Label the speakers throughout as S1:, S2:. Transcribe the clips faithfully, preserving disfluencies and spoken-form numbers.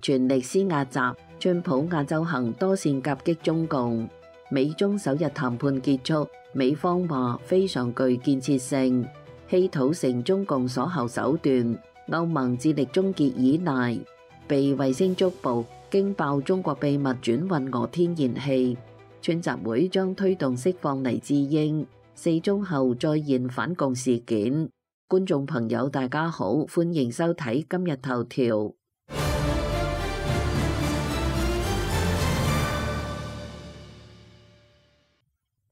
S1: 全力施壓習，川普亞洲行多線夾擊中共。美中首日談判結束，美方話非常具建設性，稀土成中共所後手段。歐盟致力終結依賴，被衛星觸捕，驚爆中國秘密轉運俄天然氣。川習會將推動釋放黎智英。四中後再現反共事件。觀眾朋友大家好，歡迎收睇今日頭條。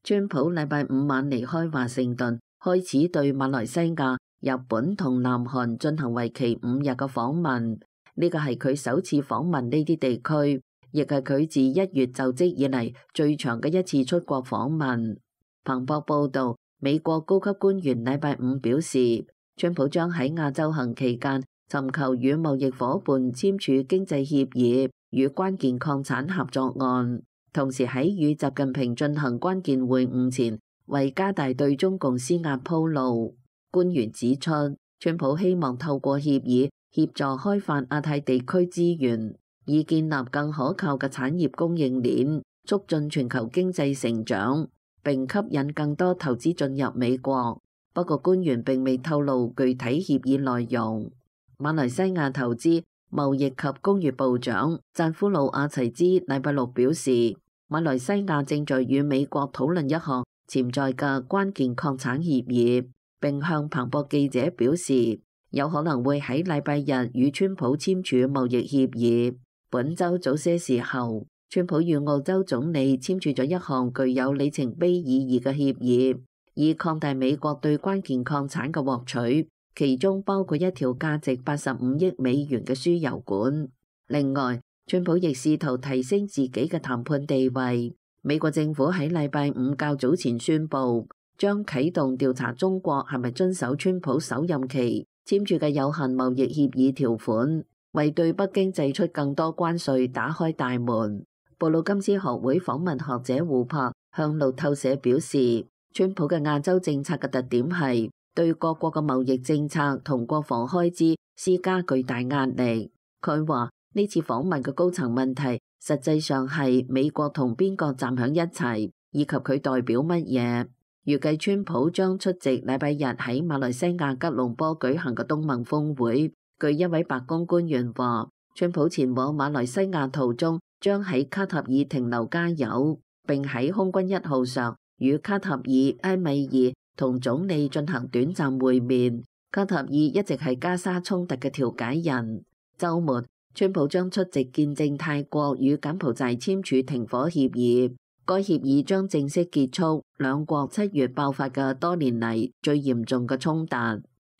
S1: 川普禮拜五晚離開華盛頓，開始對馬來西亞、日本同南韓進行為期五日嘅訪問。呢個係佢首次訪問呢啲地區，亦係佢自一月就職以嚟最長嘅一次出國訪問。彭博報道，美國高級官員禮拜五表示，川普將喺亞洲行期間尋求與貿易夥伴簽署經濟協議與關鍵礦產合作案，同時喺與習近平進行關鍵會晤前，為加大對中共施壓鋪路。官員指出，川普希望透過協議協助開發亞太地區資源，以建立更可靠嘅產業供應鏈，促進全球經濟成長，並吸引更多投資進入美國。不過官員並未透露具體協議內容。馬來西亞投資、貿易及工業部長贊夫魯阿齊茲禮拜六表示，馬來西亞正在與美國討論一項潛在嘅關鍵礦產協議，並向彭博記者表示，有可能會喺禮拜日與川普簽署貿易協議。本週早些時候，川普與澳洲總理簽署咗一項具有里程碑意義嘅協議，以擴大美國對關鍵礦產嘅獲取，其中包括一條價值八十五億美元嘅輸油管。另外，川普亦試圖提升自己嘅談判地位。美國政府喺禮拜五較早前宣布，將啟動調查中國係咪遵守川普首任期簽署嘅有限貿易協議條款，為對北京祭出更多關稅打開大門。布魯金斯學會訪問學者胡柏向路透社表示，川普嘅亞洲政策嘅特點係對各國嘅貿易政策同國防開支施加巨大壓力。佢話呢次訪問嘅高層問題實際上係美國同邊個站響一齊，以及佢代表乜嘢。預計川普將出席禮拜日喺馬來西亞吉隆坡舉行嘅東盟峰會。據一位白宮官員話，川普前往馬來西亞途中將喺卡塔爾停留加油，並喺空軍一號上與卡塔爾埃米爾同總理進行短暫會面。卡塔爾一直係加沙衝突嘅調解人。週末，川普將出席見證泰國與柬埔寨簽署停火協議，該協議將正式結束兩國七月爆發嘅多年嚟最嚴重嘅衝突。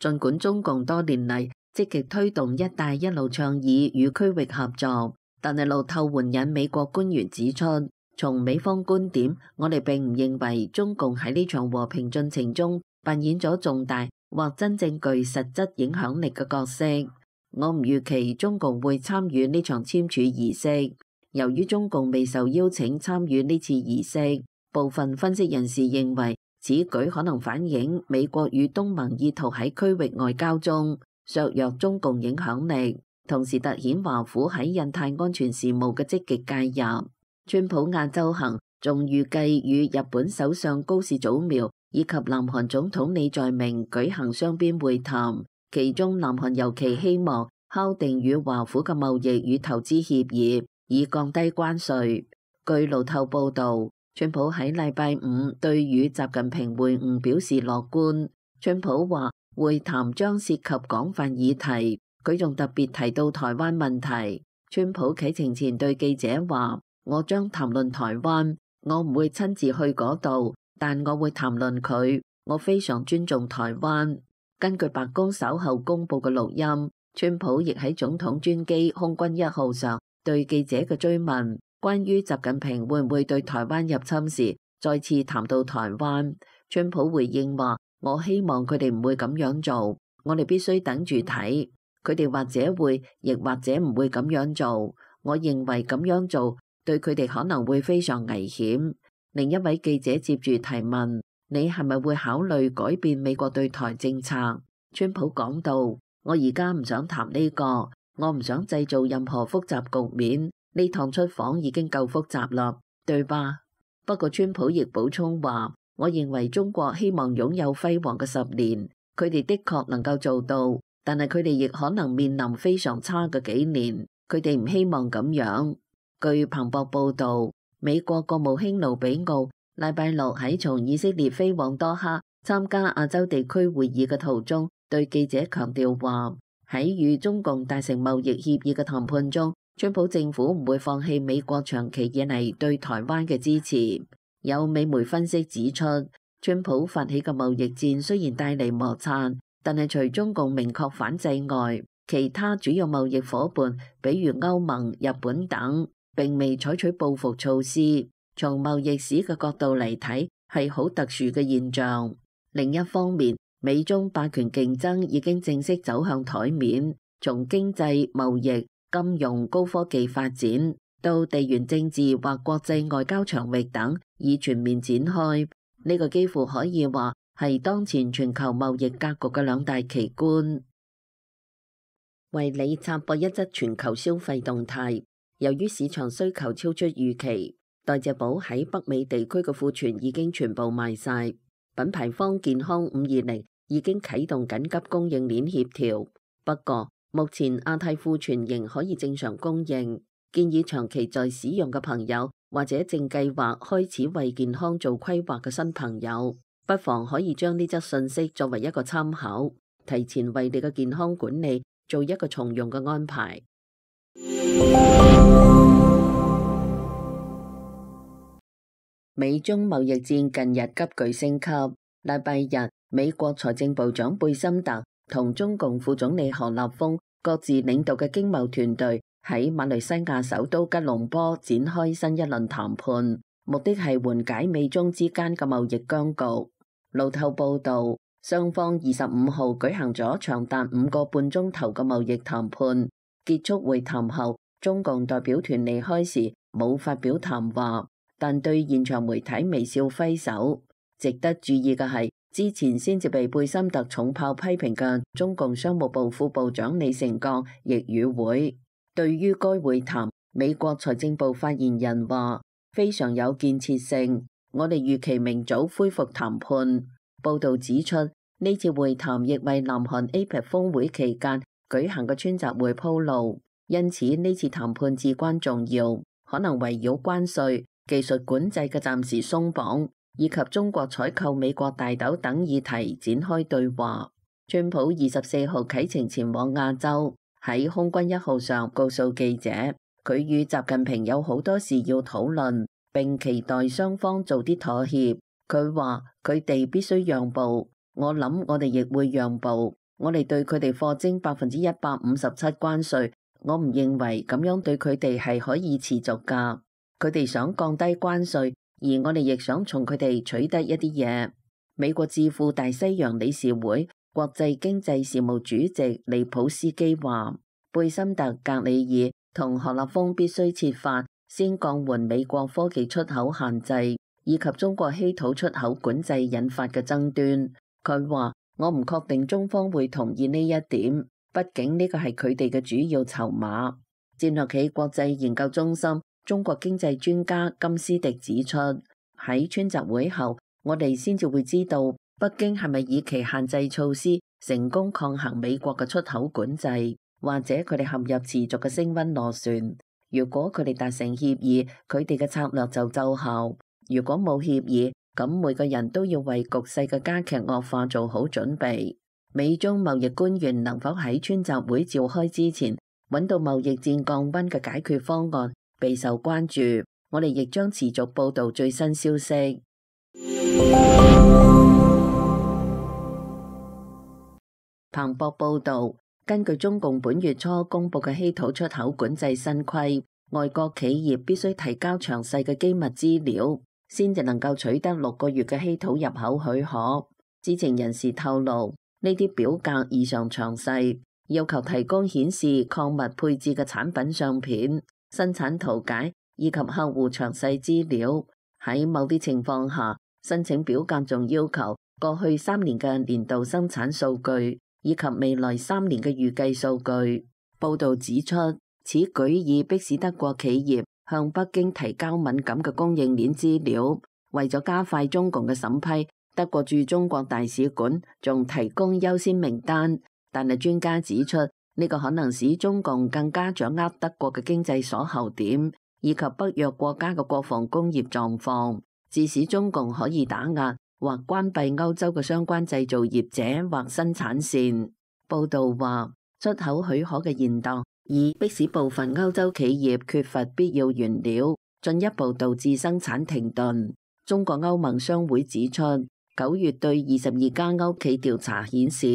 S1: 儘管中共多年嚟積極推動一帶一路倡議與區域合作，但係路透援引美國官員指出，從美方觀點，我哋並唔認為中共喺呢場和平進程中扮演咗重大或真正具實質影響力嘅角色。我唔預期中共會參與呢場簽署儀式。由於中共未受邀請參與呢次儀式，部分分析人士認為此舉可能反映美國與東盟意圖喺區域外交中削弱中共影響力，同時凸顯華府喺印太安全事務嘅積極介入。川普亞洲行仲預計與日本首相高市早苗以及南韓總統李在明舉行雙邊會談，其中南韓尤其希望敲定與華府嘅貿易與投資協議，以降低關稅。據路透報導，川普喺禮拜五對與習近平會晤表示樂觀。川普話會談將涉及廣泛議題，佢仲特別提到台灣問題。川普啟程前對記者話：我將談論台灣，我唔會親自去嗰度，但我會談論佢。我非常尊重台灣。根據白宮稍後公佈嘅錄音，川普亦喺總統專機空軍一號上對記者嘅追問，關於習近平會唔會對台灣入侵時，再次談到台灣。川普回應話：我希望佢哋唔會咁樣做，我哋必須等住睇，佢哋或者會，亦或者唔會咁樣做。我認為咁樣做對佢哋可能會非常危險。另一位記者接住提問：你係咪會考慮改變美國對台政策？川普講道：我而家唔想談呢個，我唔想製造任何複雜局面，呢趟出訪已經夠複雜啦，對吧？不過川普亦補充話，我認為中國希望擁有輝煌嘅十年，佢哋的確能夠做到，但係佢哋亦可能面臨非常差嘅幾年，佢哋唔希望咁樣。據彭博報導，美國國務卿盧比奧禮拜六喺從以色列飛往多哈參加亞洲地區會議嘅途中，對記者強調話，喺與中共達成貿易協議嘅談判中，川普政府唔會放棄美國長期以嚟對台灣嘅支持。有美媒分析指出，川普發起嘅貿易戰雖然帶嚟摩擦，但係除中共明確反制外，其他主要貿易夥伴，比如歐盟、日本等，並未採取報復措施。從貿易史嘅角度嚟睇，係好特殊嘅現象。另一方面，美中霸權競爭已經正式走向台面，從經濟、貿易、金融、高科技發展到地緣政治或國際外交場域等，已全面展開。呢個幾乎可以話係當前全球貿易格局嘅兩大奇觀。為你插播一則全球消費動態，由於市場需求超出預期，代謝寶喺北美地區嘅庫存已經全部賣晒。品牌方健康五二零已經啟動緊急供應鏈協調，不過目前亞太庫存仍可以正常供應。建議長期在使用嘅朋友或者正計劃開始為健康做規劃嘅新朋友，不妨可以將呢則信息作為一個參考，提前為你嘅健康管理做一個從容嘅安排。美中貿易戰近日急劇升級，禮拜日美國財政部長貝森特同中共副總理何立峰各自領導嘅經貿團隊喺馬來西亞首都吉隆坡展開新一輪談判，目的係緩解美中之間嘅貿易僵局。路透報道，雙方二十五號舉行咗長達五個半鐘頭嘅貿易談判，結束會談後，中共代表團離開時冇發表談話，但對現場媒體微笑揮手。值得注意嘅係，之前先至被貝森特重炮批評嘅中共商務部副部長李成鋼亦與會。對於該會談，美國財政部發言人話非常有建設性，我哋預期明早恢復談判。報道指出，呢次會談亦為南韓 A P E C 峰會期間舉行嘅川習會鋪路，因此呢次談判至關重要，可能圍繞關稅、技術管制嘅暫時鬆綁，以及中國採購美國大豆等議題展開對話。川普二十四號啟程前往亞洲，喺空軍一號上告訴記者，佢與習近平有好多事要討論，並期待雙方做啲妥協。佢話佢哋必須讓步，我諗我哋亦會讓步。我哋對佢哋課徵百分之一百五十七關稅，我唔認為咁樣對佢哋係可以持續㗎。佢哋想降低關稅，而我哋亦想從佢哋取得一啲嘢。美國智庫大西洋理事會國際經濟事務主席利普斯基話，貝森特、格里爾同何立峰必須設法先降緩美國科技出口限制，以及中國稀土出口管制引發嘅爭端。佢話，我唔確定中方會同意呢一點，畢竟呢個係佢哋嘅主要籌碼。戰略企國際研究中心中國經濟專家金斯迪指出，喺川習會後，我哋先至會知道北京係咪以其限制措施成功抗衡美國嘅出口管制，或者佢哋陷入持續嘅升溫螺旋。如果佢哋達成協議，佢哋嘅策略就奏效；如果冇協議，咁每個人都要為局勢嘅加劇惡化做好準備。美中貿易官員能否喺川習會召開之前揾到貿易戰降溫嘅解決方案，備受關注。我哋亦將持續報道最新消息。彭博報道，根據中共本月初公布嘅稀土出口管制新規，外國企業必須提交詳細嘅機密資料，先至能夠取得六個月嘅稀土入口許可。知情人士透露，呢啲表格異常詳細，要求提供顯示礦物配置嘅產品相片、生產圖解以及客戶詳細資料。喺某啲情況下，申請表格仲要求過去三年嘅年度生產數據，以及未來三年嘅預計數據。報道指出，此舉已迫使德國企業向北京提交敏感嘅供應鏈資料。為咗加快中共嘅審批，德國駐中國大使館仲提供優先名單。但係專家指出，呢個可能使中共更加掌握德國嘅經濟鎖喉點，以及北約國家嘅國防工業狀況，致使中共可以打壓或關閉歐洲嘅相關製造業者或生產線。報道話，出口許可嘅延宕已迫使部分歐洲企業缺乏必要原料，進一步導致生產停頓。中國歐盟商會指出，九月對二十二家歐企調查顯示，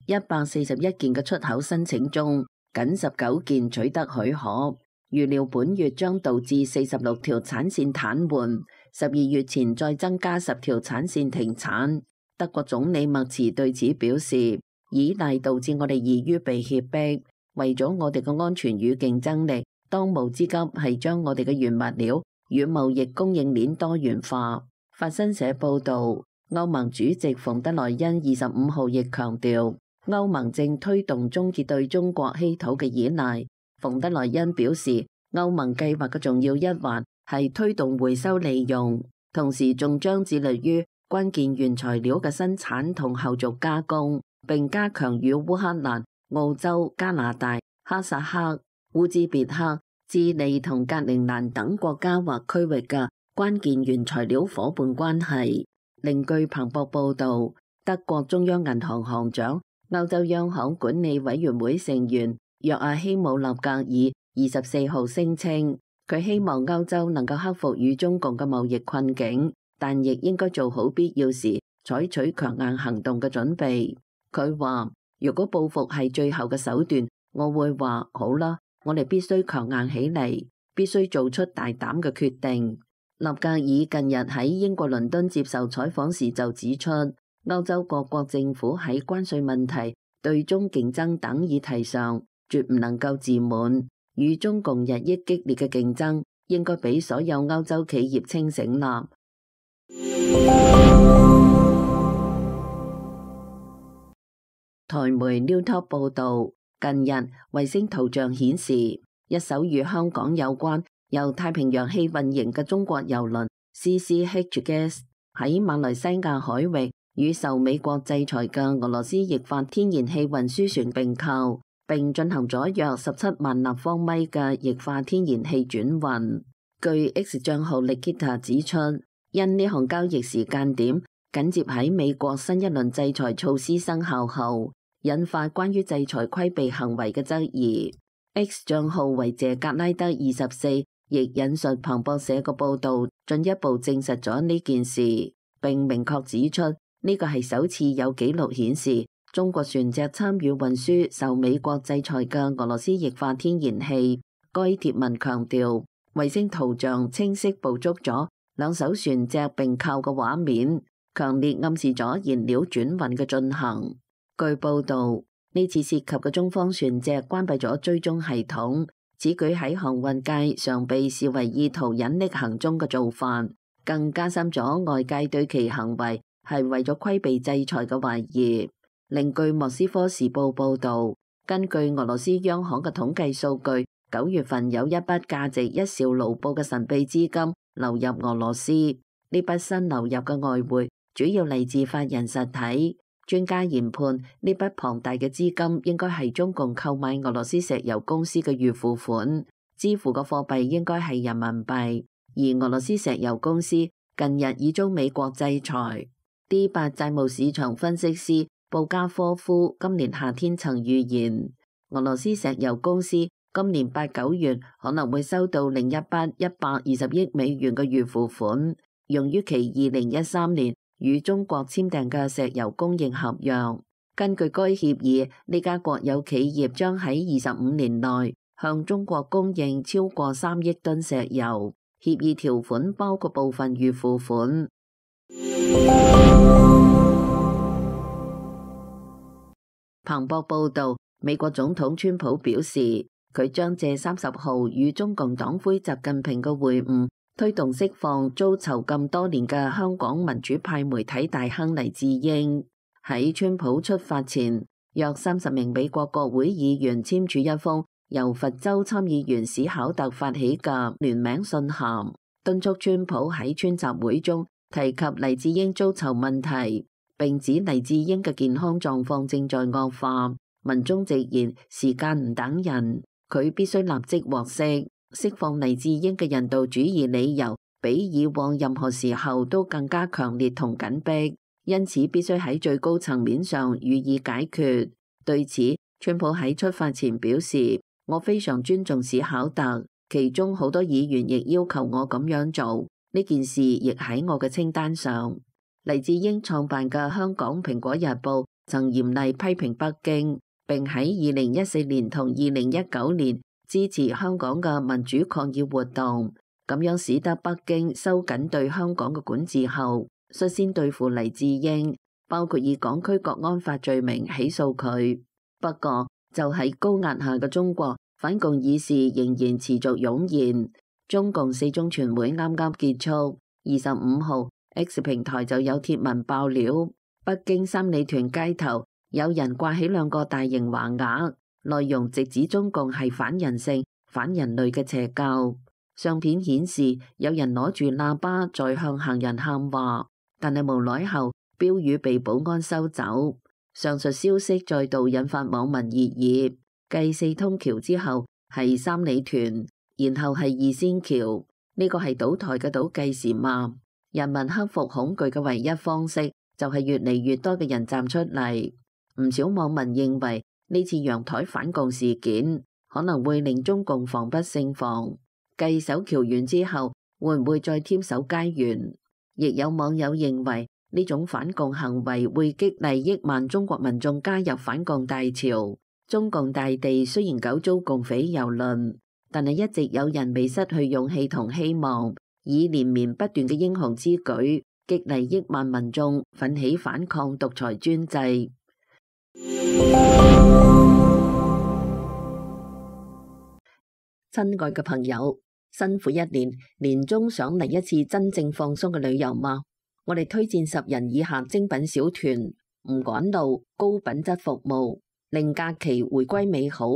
S1: 一百四十一件嘅出口申請中，僅十九件取得許可。預料本月將導致四十六條產線癱瘓，十二月前再增加十條產線停產。德國總理默茨對此表示，依賴導致我哋易於被脅迫，為咗我哋嘅安全與競爭力，當務之急係將我哋嘅原物料與貿易供應鏈多元化。法新社報導，歐盟主席馮德萊恩二十五號亦強調，歐盟正推動終結對中國稀土嘅依賴。馮德萊恩表示，歐盟計劃嘅重要一環係推動回收利用，同時仲將致力於關鍵原材料嘅生產同後續加工，並加強與烏克蘭、澳洲、加拿大、哈薩克、烏茲別克、智利同格陵蘭等國家或區域嘅關鍵原材料夥伴關係。另據彭博報導，德國中央銀行行長、歐洲央行管理委員會成員約阿希姆納格爾二十四號聲稱，佢希望歐洲能夠克服與中共嘅貿易困境，但亦應該做好必要時採取強硬行動嘅準備。佢話，如果報復係最後嘅手段，我會話好啦，我哋必須強硬起嚟，必須做出大膽嘅決定。納格爾近日喺英國倫敦接受採訪時就指出，歐洲各國政府喺關稅問題、對中競爭等議題上絕唔能夠自滿，與中共日益激烈嘅競爭應該俾所有歐洲企業清醒啦。台媒 Newtop 報導，近日衛星圖像顯示，一艘與香港有關由太平洋氣運營嘅中國郵輪 C C H Gas 喺馬來西亞海域與受美國制裁嘅俄羅斯液化天然氣運輸船並購，並進行咗約十七萬立方米嘅液化天然氣轉運。據 X 賬號 Nikita 指出，因呢項交易時間點緊接喺美國新一輪制裁措施生效後，引發關於制裁規避行為嘅質疑。X 賬號為謝格拉德二十四亦引述彭博社嘅報導，進一步證實咗呢件事，並明確指出呢個係首次有紀錄顯示中國船隻參與運輸受美國制裁嘅俄羅斯液化天然氣。該貼文強調，衛星圖像清晰捕捉咗兩艘船隻並購嘅畫面，強烈暗示咗燃料轉運嘅進行。據報導，呢次涉及嘅中方船隻關閉咗追蹤系統，此舉喺航運界常被視為意圖隱匿行蹤嘅做法，更加深咗外界對其行為係為咗規避制裁嘅懷疑。另據莫斯科時報報導，根據俄羅斯央行嘅統計數據，九月份有一筆價值一兆盧布嘅神秘資金流入俄羅斯，呢筆新流入嘅外匯主要嚟自法人實體。專家研判呢筆龐大嘅資金應該係中共購買俄羅斯石油公司嘅預付款，支付嘅貨幣應該係人民幣。而俄羅斯石油公司近日已遭美國制裁。D 八債務市場分析師布加科夫今年夏天曾預言，俄羅斯石油公司今年八九月可能會收到另一筆一百二十億美元嘅預付款，用於其二零一三年與中國簽訂嘅石油供應合約。根據該協議，呢家國有企業將喺二十五年內向中國供應超過三億噸石油。協議條款包括部分預付款。彭博報導，美國總統川普表示，佢將借三十號與中共黨魁習近平嘅會晤，推動釋放遭囚禁多年嘅香港民主派媒體大亨黎智英。喺川普出發前，約三十名美國國會議員簽署一封由佛州參議員史考特發起嘅聯名信函，敦促川普喺川集會中提及黎智英遭囚問題，並指黎智英嘅健康狀況正在惡化。文中直言時間唔等人，佢必須立即獲釋，釋放黎智英嘅人道主義理由比以往任何時候都更加強烈同緊迫，因此必須喺最高層面上予以解決。對此，川普喺出發前表示，我非常尊重史考特，其中好多議員亦要求我咁樣做，呢件事亦喺我嘅清單上。黎智英創辦嘅香港蘋果日報曾嚴厲批評北京，並喺二零一四年同二零一九年支持香港嘅民主抗議活動，咁樣使得北京收緊對香港嘅管治後，率先對付黎智英，包括以港區國安法罪名起訴佢。不過就喺高壓下嘅中國，反共議事仍然持續湧現。中共四中全會啱啱結束，二十五號 X 平台就有貼文爆料，北京三里屯街頭有人掛起兩個大型橫額，內容直指中共係反人性、反人類嘅邪教。相片顯示有人攞住喇叭在向行人喊話，但係無奈後標語被保安收走。上述消息再度引發網民熱議，繼四通橋之後係三里屯，然後係二仙橋，呢個係倒台嘅倒計時嘛？人民克服恐懼嘅唯一方式就係越嚟越多嘅人站出嚟。唔少網民認為呢次陽台反共事件可能會令中共防不勝防，繼守橋員之後會唔會再添守街員？亦有網友認為呢種反共行為會激勵億萬中國民眾加入反共大潮。中共大地雖然久遭共匪蹂躪，但係一直有人未失去勇氣同希望，以連綿不斷嘅英雄之舉激勵億萬民眾奮起反抗獨裁專制。親愛嘅朋友，辛苦一年，年終想嚟一次真正放鬆嘅旅遊嗎？我哋推薦十人以下精品小團，唔趕路，高品質服務，令假期回歸美好。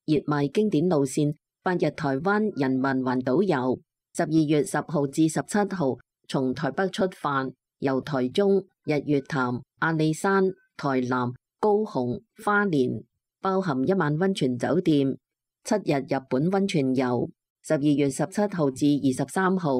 S1: 熱賣經典路線，八日台灣人民環島遊，十二月十號至十七號從台北出發，由台中、日月潭、阿里山、台南、高雄、花蓮，包含一晚溫泉酒店，七日日本溫泉遊。十二月十七號至二十三號，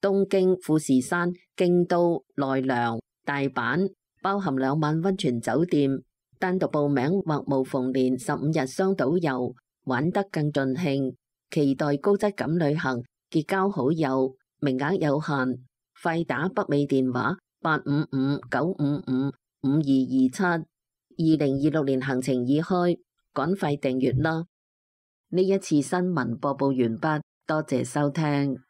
S1: 東京、富士山、京都、奈良、大阪，包含兩晚溫泉酒店。單獨報名或無縫連十五日雙島遊，玩得更盡興。期待高質感旅行，結交好友，名額有限，快打北美電話八五五九五五五二二七。二零二六年行程已開，趕快訂閱啦！呢一次新聞播報完畢，多謝收聽。